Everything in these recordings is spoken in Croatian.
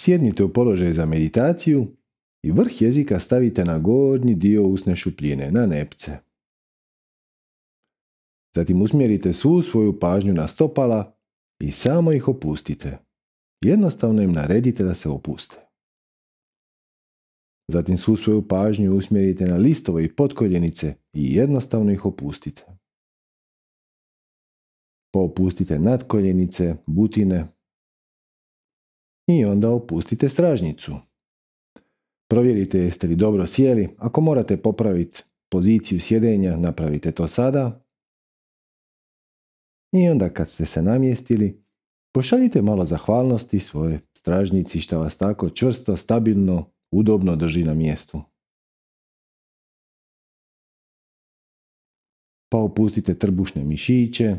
Sjednite u položaj za meditaciju i vrh jezika stavite na gornji dio usne šupljine, na nepce. Zatim usmjerite svu svoju pažnju na stopala i samo ih opustite. Jednostavno im naredite da se opuste. Zatim svu svoju pažnju usmjerite na listove i potkoljenice i jednostavno ih opustite. Pa opustite nadkoljenice, butine i onda opustite stražnjicu. Provjerite jeste li dobro sjeli. Ako morate popraviti poziciju sjedenja, napravite to sada. I onda kad ste se namjestili, pošaljite malo zahvalnosti svoje stražnjici što vas tako čvrsto, stabilno, udobno drži na mjestu. Pa opustite trbušne mišiće,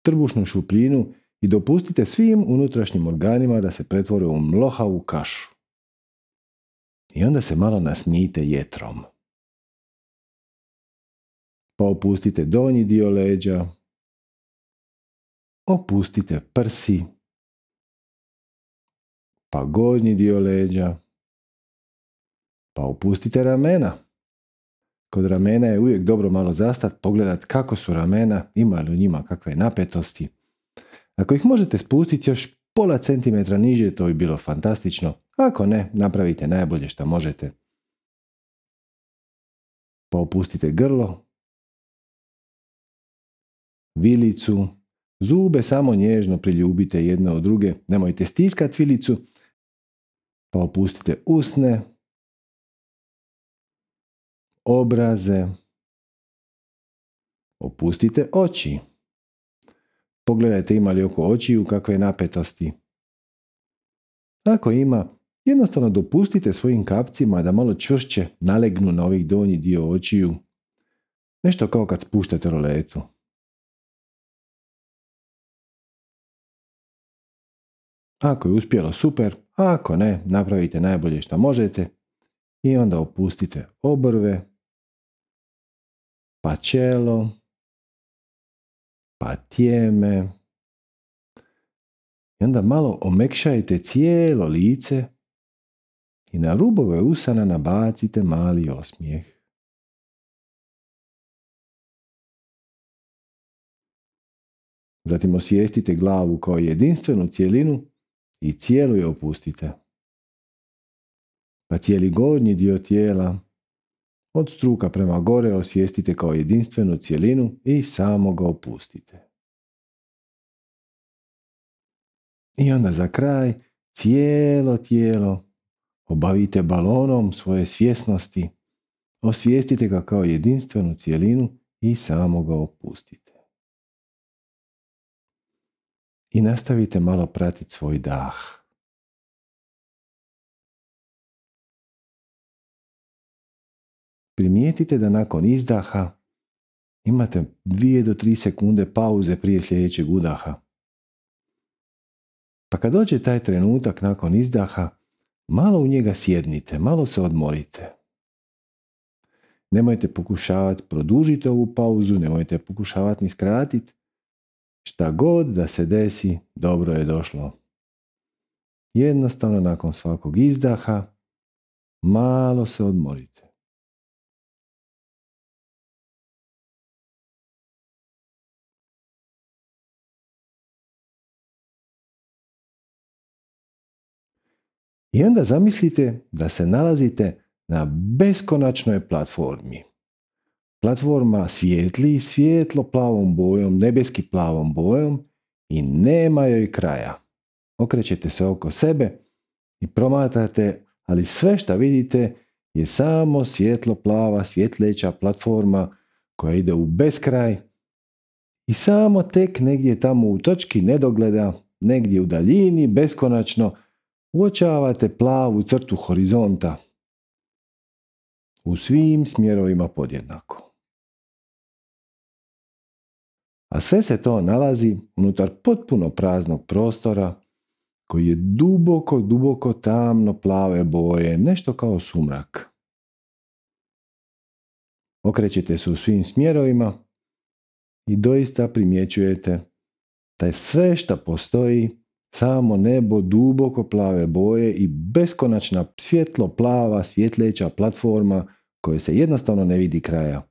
trbušnu šupljinu i dopustite svim unutrašnjim organima da se pretvore u mlohavu kašu. I onda se malo nasmijte jetrom. Pa opustite donji dio leđa, opustite prsi, pa gornji dio leđa, pa opustite ramena. Kod ramena je uvijek dobro malo zastat, pogledat kako su ramena, ima li u njima kakve napetosti. Ako ih možete spustiti još pola centimetra niže, to bi bilo fantastično. Ako ne, napravite najbolje što možete. Pa opustite grlo, vilicu, zube samo nježno priljubite jedne od druge, nemojte stiskati vilicu, pa opustite usne, obraze, opustite oči. Pogledajte ima li oko očiju kakve napetosti. Ako ima, jednostavno dopustite svojim kapcima da malo čvršće nalegnu na ovih donji dio očiju. Nešto kao kad spuštate roletu. Ako je uspjelo, super, a ako ne, napravite najbolje što možete i onda opustite obrve, pa čelo, pa tijeme i onda malo omekšajte cijelo lice i na rubove usana nabacite mali osmijeh. Zatim osvijestite glavu kao jedinstvenu cjelinu i cijelu je opustite. Pa cijeli gornji dio tijela od struka prema gore osvijestite kao jedinstvenu cjelinu i samo ga opustite. I onda za kraj cijelo tijelo obavite balonom svoje svjesnosti, osvijestite ga kao jedinstvenu cjelinu i samo ga opustite. I nastavite malo pratiti svoj dah. Primijetite da nakon izdaha imate 2 do 3 sekunde pauze prije sljedećeg udaha. Pa kad dođe taj trenutak nakon izdaha, malo u njega sjednite, malo se odmorite. Nemojte pokušavati produžiti ovu pauzu, nemojte pokušavati ni skratiti. Šta god da se desi, dobro je došlo. Jednostavno nakon svakog izdaha, malo se odmorite. I onda zamislite da se nalazite na beskonačnoj platformi. Platforma svijetli svijetlo plavom bojom, nebeski plavom bojom i nema joj kraja. Okrećete se oko sebe i promatrate, ali sve što vidite je samo svjetlo plava, svjetleća platforma koja ide u beskraj i samo tek negdje tamo u točki nedogleda, negdje u daljini, beskonačno, uočavate plavu crtu horizonta u svim smjerovima podjednako. A sve se to nalazi unutar potpuno praznog prostora koji je duboko, duboko tamno plave boje, nešto kao sumrak. Okrećete se u svim smjerovima i doista primjećujete da sve što postoji Samo nebo duboko plave boje i beskonačna svjetlo plava svjetleća platforma koje se jednostavno ne vidi kraja.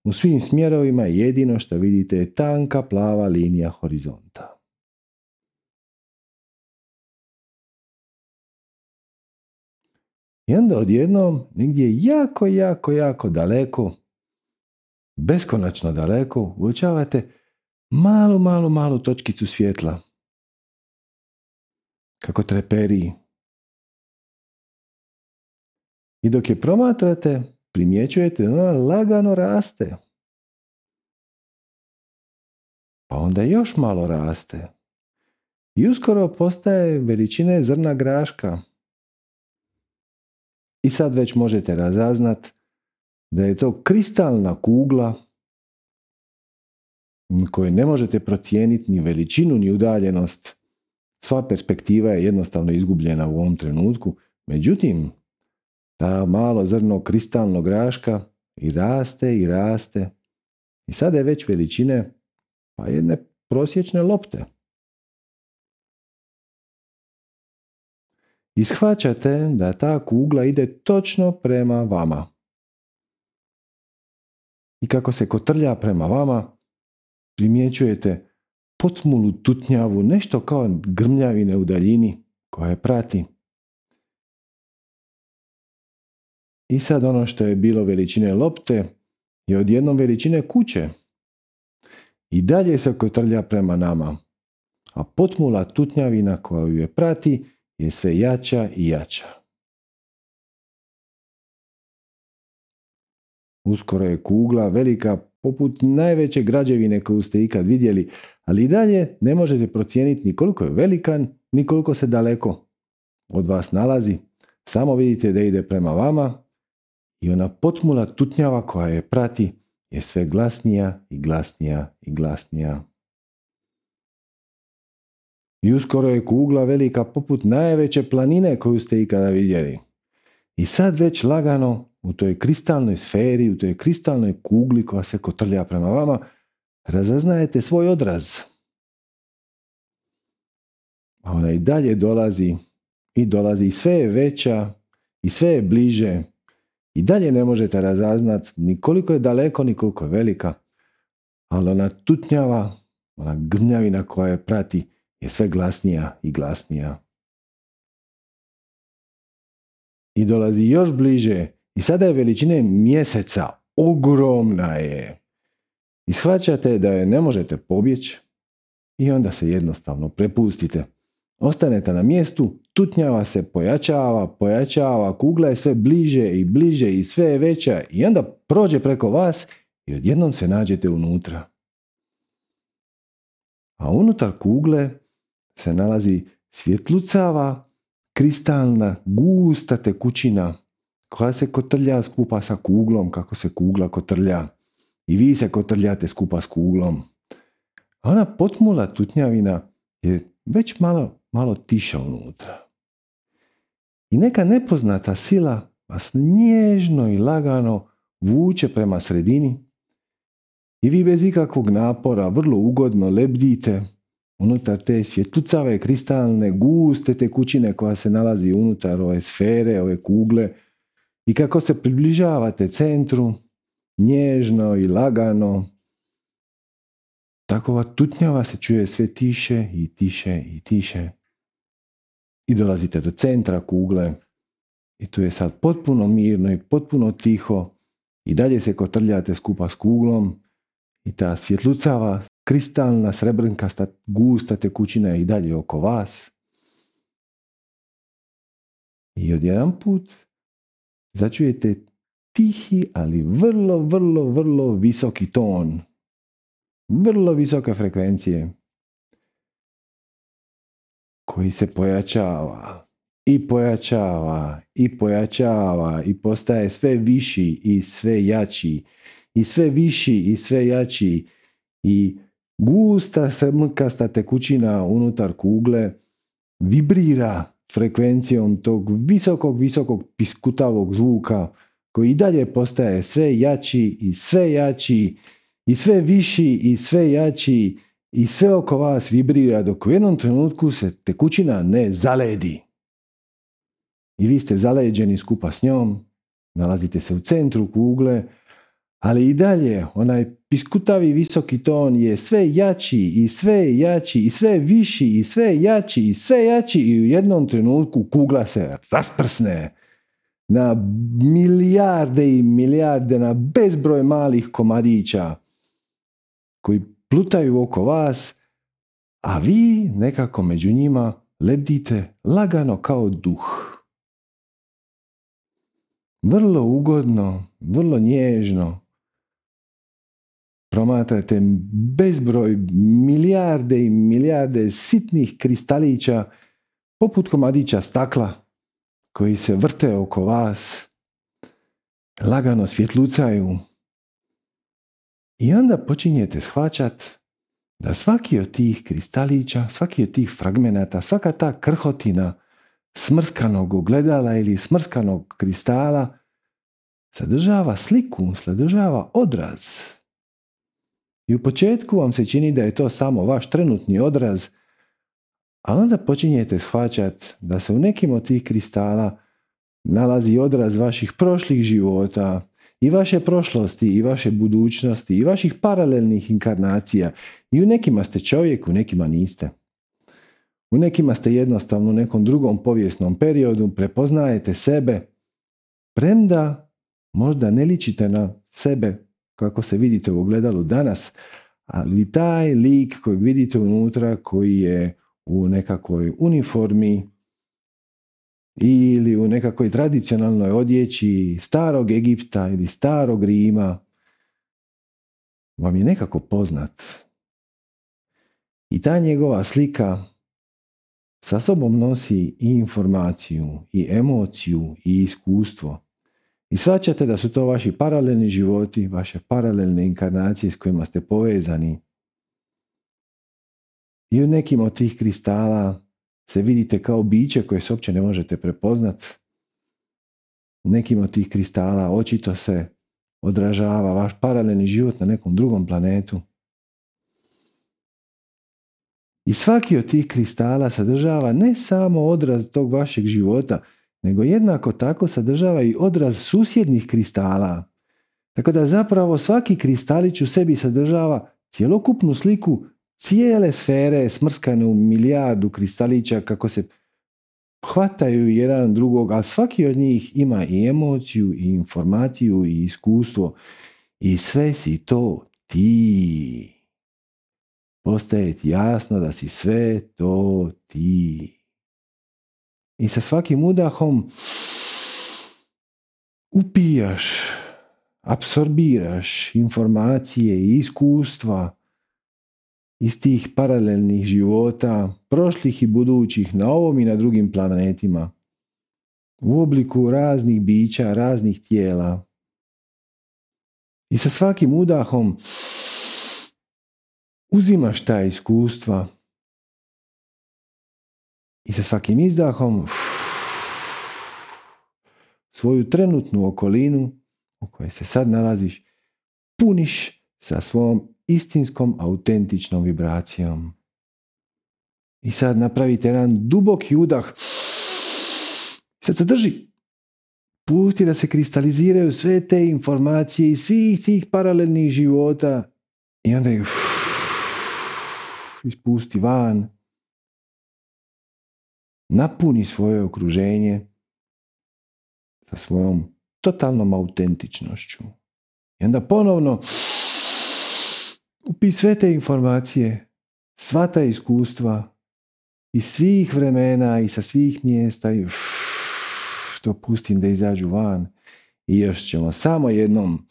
U svim smjerovima jedino što vidite je tanka plava linija horizonta. I onda odjednom, negdje jako daleko, beskonačno daleko, uočavate malu točkicu svjetla. Kako treperi. I dok je promatrate, primjećujete da ona lagano raste. Pa onda još malo raste. I uskoro postaje veličine zrna graška. I sad već možete razaznat da je to kristalna kugla koju ne možete procijeniti ni veličinu ni udaljenost. Sva perspektiva je jednostavno izgubljena u ovom trenutku. Međutim, ta malo zrno kristalnog graška i raste. I sada je već veličine pa jedne prosječne lopte. I shvaćate da ta kugla ide točno prema vama. I kako se kotrlja prema vama, primjećujete potmulu tutnjavu, nešto kao grmljavine u daljini koja je prati. I sad ono što je bilo veličine lopte je odjednom veličine kuće. I dalje se kotrlja prema nama. A potmula tutnjavina koja ju je prati je sve jača i jača. Uskoro je kugla velika poput najveće građevine koju ste ikad vidjeli, ali i dalje ne možete procijeniti ni koliko je velikan, ni koliko se daleko od vas nalazi. Samo vidite da ide prema vama i ona potmula tutnjava koja je prati je sve glasnija i glasnija i glasnija. I uskoro je kugla velika poput najveće planine koju ste ikada vidjeli. I sad već lagano u toj kristalnoj sferi, u toj kristalnoj kugli koja se kotrlja prema vama, razaznajete svoj odraz. A ona i dalje dolazi i sve je veća i sve je bliže. I dalje ne možete razaznati ni koliko je daleko, ni koliko je velika. Ali ona tutnjava, ona grmljavina koja je prati, je sve glasnija i glasnija. I dolazi još bliže i sada je veličine mjeseca, ogromna je. I shvaćate da je ne možete pobjeći i onda se jednostavno prepustite. Ostanete na mjestu, tutnjava se pojačava, kugla je sve bliže i sve je veća i onda prođe preko vas i odjednom se nađete unutra. A unutar kugle se nalazi svjetlucava, kristalna, gusta tekućina koja se kotrlja skupa sa kuglom kako se kugla kotrlja. I vi se kotrljate skupa s kuglom. A ona potmula tutnjavina je već malo tiša unutra. I neka nepoznata sila vas nježno i lagano vuče prema sredini i vi bez ikakvog napora vrlo ugodno lebdite unutar te svjetlucave, kristalne, guste tekućine koja se nalazi unutar ove sfere, ove kugle i kako se približavate centru, nježno i lagano, takova tutnjava se čuje sve tiše i tiše i tiše. I dolazite do centra kugle i tu je sad potpuno mirno i potpuno tiho i dalje se kotrljate skupa s kuglom i ta svjetlucava, kristalna, srebrnkasta, gusta tekućina je i dalje oko vas. I odjedanput začujete tihi, ali vrlo visoki ton. Vrlo visoke frekvencije koji se pojačava i postaje sve viši i sve jači i sve viši i sve jači i gusta srebrnkasta tekućina unutar kugle vibrira frekvencijom tog visokog piskutavog zvuka koji i dalje postaje sve jači i sve jači i sve viši i sve jači i sve oko vas vibrira dok u jednom trenutku se tekućina ne zaledi. I vi ste zaleđeni skupa s njom, nalazite se u centru kugle, ali i dalje onaj piskutavi visoki ton je sve jači i sve jači i sve viši i sve jači i sve jači i u jednom trenutku kugla se rasprsne na milijarde i milijarde, na bezbroj malih komadića koji plutaju oko vas, a vi nekako među njima lebdite lagano kao duh. Vrlo ugodno, vrlo nježno promatrate bezbroj milijarde i milijarde sitnih kristalića poput komadića stakla koji se vrte oko vas, lagano svjetlucaju. I onda počinjete shvaćati da svaki od tih kristalića, svaki od tih fragmenata, svaka ta krhotina smrskanog ogledala ili smrskanog kristala sadržava sliku, sadržava odraz. I u početku vam se čini da je to samo vaš trenutni odraz, a onda počinjete shvaćati da se u nekim od tih kristala nalazi odraz vaših prošlih života i vaše prošlosti i vaše budućnosti i vaših paralelnih inkarnacija. I u nekima ste čovjek, u nekima niste. U nekima ste jednostavno u nekom drugom povijesnom periodu, prepoznajete sebe, premda možda ne ličite na sebe kako se vidite u ogledalu danas, ali taj lik kojeg vidite unutra, koji je u nekakvoj uniformi ili u nekakvoj tradicionalnoj odjeći starog Egipta ili starog Rima, vam je nekako poznat. I ta njegova slika sa sobom nosi i informaciju, i emociju, i iskustvo. I shvaćate da su to vaši paralelni životi, vaše paralelne inkarnacije s kojima ste povezani. I u nekim od tih kristala se vidite kao biće koje se uopće ne možete prepoznat. U nekim od tih kristala očito se odražava vaš paralelni život na nekom drugom planetu. I svaki od tih kristala sadržava ne samo odraz tog vašeg života, nego jednako tako sadržava i odraz susjednih kristala. Tako da zapravo svaki kristalić u sebi sadržava cjelokupnu sliku cijele sfere smrskane u milijardu kristalića kako se hvataju jedan drugog, ali svaki od njih ima i emociju, i informaciju, i iskustvo. I sve si to ti. Postaje ti jasno da si sve to ti. I sa svakim udahom upijaš, apsorbiraš informacije i iskustva iz tih paralelnih života, prošlih i budućih, na ovom i na drugim planetima, u obliku raznih bića, raznih tijela. I sa svakim udahom uzimaš ta iskustva i sa svakim izdahom svoju trenutnu okolinu u kojoj se sad nalaziš puniš sa svom istinskom, autentičnom vibracijom. I sad napravite jedan duboki udah. Sad se drži. Pusti da se kristaliziraju sve te informacije iz svih tih paralelnih života i onda ih ispusti van. Napuni svoje okruženje sa svojom totalnom autentičnošću. I onda ponovno upi sve te informacije, sva ta iskustva iz svih vremena i sa svih mjesta i to pustim da izađu van. I još ćemo samo jednom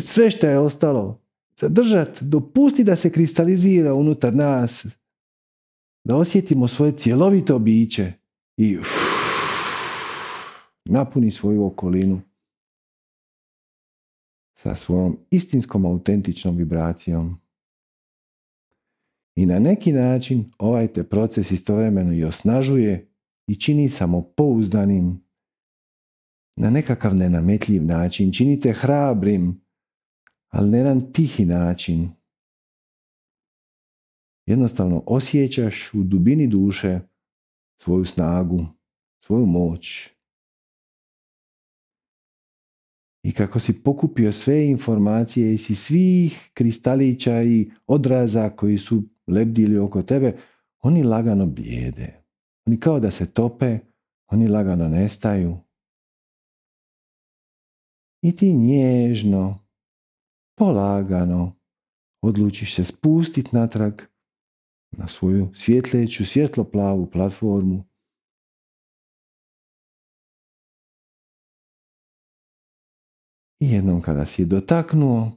sve što je ostalo zadržati, dopusti da se kristalizira unutar nas, da osjetimo svoje cjelovito biće i napuni svoju okolinu sa svojom istinskom autentičnom vibracijom. I na neki način ovaj te proces istovremeno i osnažuje i čini samopouzdanim na nekakav nenametljiv način. Čini te hrabrim, ali na jedan tihi način. Jednostavno osjećaš u dubini duše svoju snagu, svoju moć. I kako si pokupio sve informacije iz svih kristalića i odraza koji su lebdili oko tebe, oni lagano blijede. Oni kao da se tope, oni lagano nestaju. I ti nježno, polagano odlučiš se spustiti natrag na svoju svjetleću, svjetlo-plavu platformu. I jednom kada si je dotaknuo,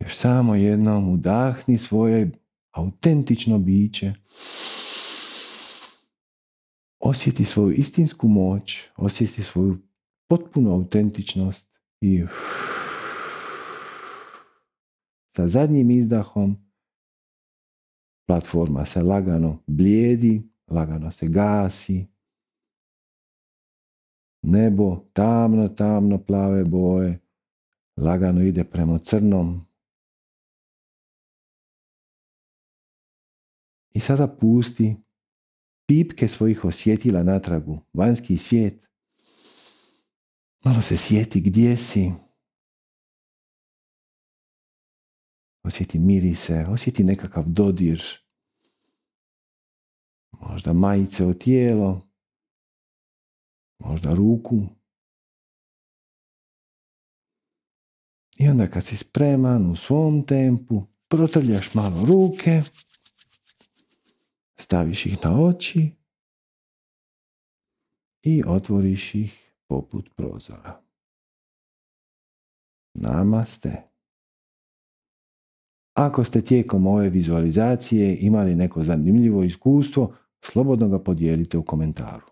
još samo jednom udahni svoje autentično biće. Osjeti svoju istinsku moć, osjeti svoju potpunu autentičnost i sa zadnjim izdahom platforma se lagano blijedi, lagano se gasi. Nebo tamno, tamno plave boje lagano ide prema crnom. I sada pusti pipke svojih osjetila natragu, vanjski svijet. Malo se sjeti gdje si. Osjeti mirise, osjeti nekakav dodir. Možda majice o tijelo, možda ruku. I onda kad si spreman u svom tempu, protrljaš malo ruke, staviš ih na oči i otvoriš ih poput prozora. Namaste. Ako ste tijekom ove vizualizacije imali neko zanimljivo iskustvo, slobodno ga podijelite u komentaru.